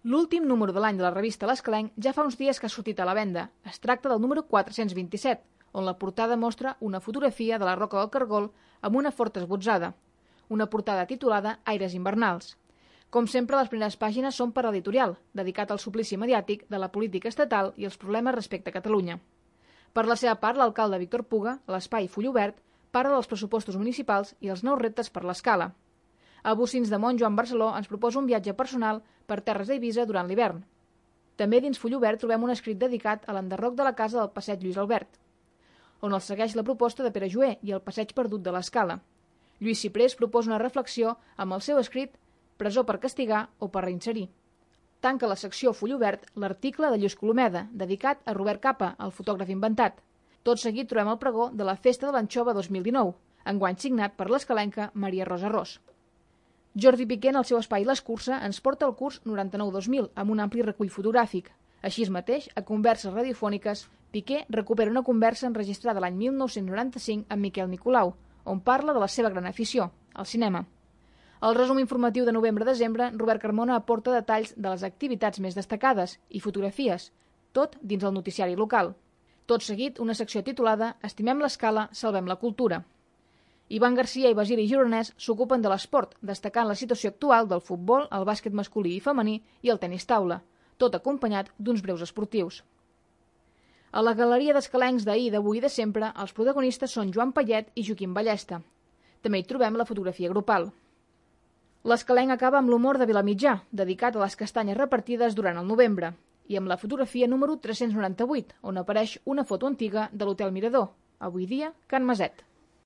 L'últim número de l'any de la revista L'Escalenc ja fa uns dies que ha sortit a la venda. Es tracta del número 427, on la portada mostra una fotografia de la Roca del Cargol amb una forta esbotzada. Una portada titulada Aires invernals. Com sempre, les primeres pàgines són per l'editorial, dedicat al suplici mediàtic de la política estatal i els problemes respecte a Catalunya. Per la seva part, l'alcalde Víctor Puga, a l'espai Full Obert, parla dels pressupostos municipals i els nous reptes per l'Escala. A Bocins de Mont, Joan Barceló ens proposa un viatge personal per terres d'Eivissa durant l'hivern. També dins Full Obert trobem un escrit dedicat a l'enderroc de la casa del passeig Lluís Albert, on el segueix la proposta de Pere Joer i el passeig perdut de l'Escala. Lluís Ciprés proposa una reflexió amb el seu escrit Presó per castigar o per reinserir. Tanca la secció Full Obert l'article de Lluís Colomeda, dedicat a Robert Capa, el fotògraf inventat. Tot seguit trobem el pregó de la Festa de l'Anxova 2019, enguany signat per l'escalenca Maria Rosa Ros. Jordi Piqué, en el seu espai L'Escurça, ens porta el curs 99-2000 amb un ampli recull fotogràfic. Així mateix, a Converses radiofòniques, Piqué recupera una conversa enregistrada l'any 1995 amb Miquel Nicolau, on parla de la seva gran afició, el cinema. Al resum informatiu de novembre-desembre, Robert Carmona aporta detalls de les activitats més destacades i fotografies, tot dins el noticiari local. Tot seguit, una secció titulada Estimem l'Escala, salvem la cultura. Ivan Garcia i Basili Gironès s'ocupen de l'esport, destacant la situació actual del futbol, el bàsquet masculí i femení i el tenis taula, tot acompanyat d'uns breus esportius. A la galeria d'escalencs d'ahir, d'avui i de sempre, els protagonistes són Joan Payet i Joaquim Ballesta. També hi trobem la fotografia grupal. L'Escalenc acaba amb l'humor de Vilamitjà, dedicat a les castanyes repartides durant el novembre, i amb la fotografia número 398, on apareix una foto antiga de l'Hotel Mirador, avui dia Can Maset.